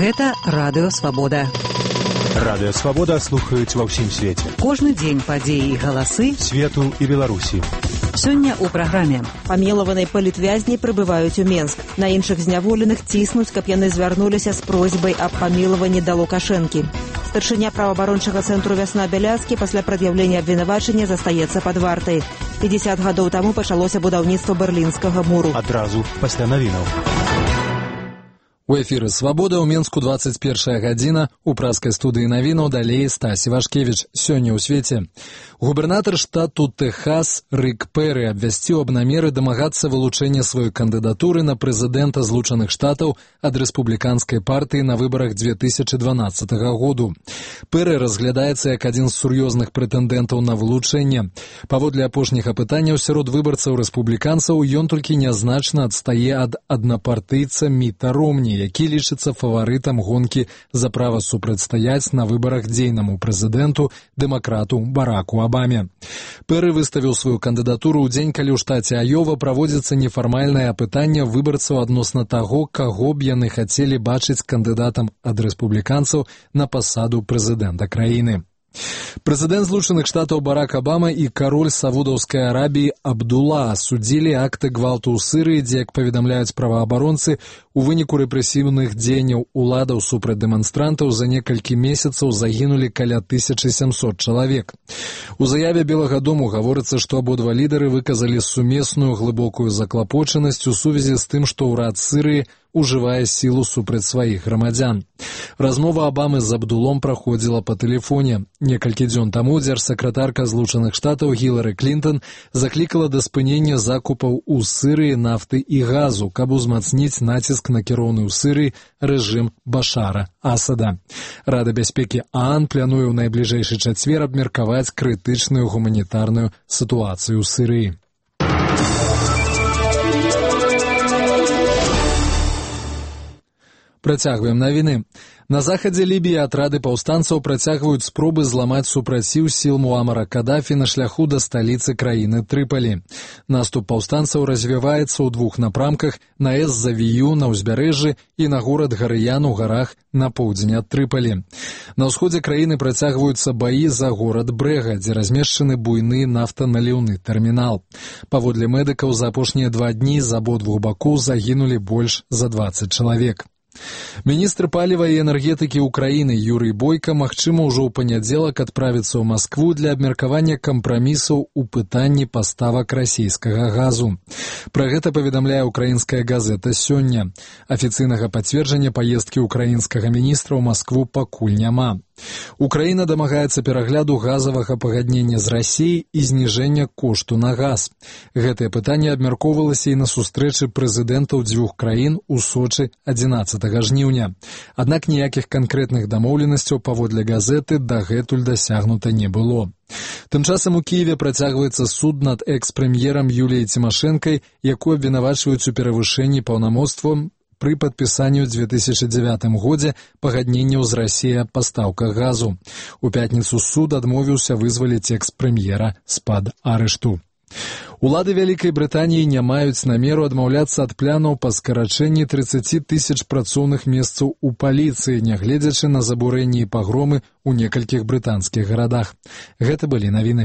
Гэта Радыё Свабода. Радыё Свабода слухаюць ва ўсім свеце. Кожны дзень падзеі і галасы свету і Беларусі. Сёння ў праграме. Памілаваныя палітвязні прыбываюць у Менск. На іншых зняволеных ціснуць, каб яны звярнуліся з просьбай аб памілаванні да Лукашэнкі. Старшыня праваабарончага цэнтру «Вясна» Бяляцкі пасля прад'яўлення абвінавачання застаецца пад вартай. 50 гадоў таму пачалося будаўніцтва Берлінскага муру. Адразу пасля навінаў. У эфіры «Свабода» ў Менску 21 гадзіна. У праскай студыі навінаў далей Стасі Вашкевіч. Сёння ў свеце. Губернатар штату Тэхас Рик Перри абвясціў аб намеры дамагацца вылучэння сваёй кандыдатуры на прэзідэнта Злучаных Штатаў ад рэспубліканскай партыі на выбарах 2012 году. Перри разглядаецца як адзін з сур'ёзных прэтэндэнтаў на вылучэнне. Паводле апошніх апытанняў сярод выбарцаў рэспубліканцаў ён толькі нязначна адстае ад аднапартыйца Міта Ромні, які лічыцца фаварытам гонкі за права супрацьстаяць на выбарах дзейнаму прэзідэнту дэмакрату Бараку Абаме. Перри выставіў сваю кандыдатуру ў дзень, калі ў штаце Айова праводзіцца нефармальнае апытанне выбарцаў адносна таго, каго б яны хацелі бачыць кандыдатам ад рэспубліканцаў на пасаду прэзідэнта краіны. Прэзідэнт Злучаных Штатаў Барак Абама і кароль Саудаўскай Арабіі Абдулла асудзілі акты гвалту ў Сырыі, дзе, як паведамляюць праваабаронцы, у выніку рэпрэсіўных дзеянняў уладаў супраць дэманстрантаў за некалькі месяцаў загінулі каля 1700 чалавек. У заяве Белага дому гаворыцца, што абодва лідары выказалі сумесную глыбокую заклапочанасць у сувязі з тым, што ўрад Сырыі ужывае сілу супраць сваіх грамадзян. Размова Абамы з Абдулом праходзіла па тэлефоне. Некалькі дзён таму дзяржсакратарка Злучаных Штатаў Гілары Клінтон заклікала да спынення закупаў у Сырыі нафты і газу, каб узмацніць націск на кіроўны ў Сырыі рэжым Башара Асада. Рада бяспекі ААН плануе ў найбліжэйшы чацвер абмеркаваць крытычную гуманітарную сітуацыю ў Сырыі. Працягваем навіны. На захадзе Лібіі атрады паўстанцаў працягваюць спробы зламаць супраціў сіл Муамара Кадафі на шляху да сталіцы краіны Трыпалі. Наступ паўстанцаў развіваецца ў двух напрамках: на Эз-Завію на ўзбярэжжы і на горад Гарыян у гарах на поўдзень ад Трыпалі. На ўсходзе краіны працягваюцца баі за горад Брэга, дзе размешчаны буйны нафтаналіўны тэрмінал. Паводле медыкаў, за апошнія 2 дні з абодвух бакоў загінулі больш за 20 чалавек. Міністр паліва і энергетыкі ўкраіны Юрый Бойка, магчыма, ужо ў панядзелак адправіцца ў Маскву для абмеркавання кампрамісаў у пытанні паставак расійскага газу. Пра гэта паведамляе украінская газета сёння. Афіцыйнага пацверджання паездкі ўкраінскага міністра ў Маскву пакуль няма. Украіна дамагаецца перагляду газавага пагаднення з Расіяй і зніжэння кошту на газ. Гэтае пытанне абмяркоўвалася і на сустрэчы прэзідэнтаў дзвюх краін у Сочы 11 жніўня. Аднак ніякіх канкрэтных дамоўленасцяў паводле газеты дагэтуль дасягнута не было. Тым часам у Кіеве працягваецца суд над экс-прэм'ерам Юліяй Цімашэнкай, якую абвінавачваюць у перавышэнні паўнамоцтваў пры падпісанні ў 2009 годзе пагадненняў з Расіяй аб пастаўках газу. У пятніцу суд адмовіўся вызваліць экс-прэм'ера з-пад арышту. Улады Вялікай Брытаніі не маюць намеру адмаўляцца ад планаў па скарачэнні 30 000 працоўных месцаў у паліцыі, нягледзячы на забурэнні і пагромы ў некалькіх брытанскіх гарадах. Гэта былі навіны.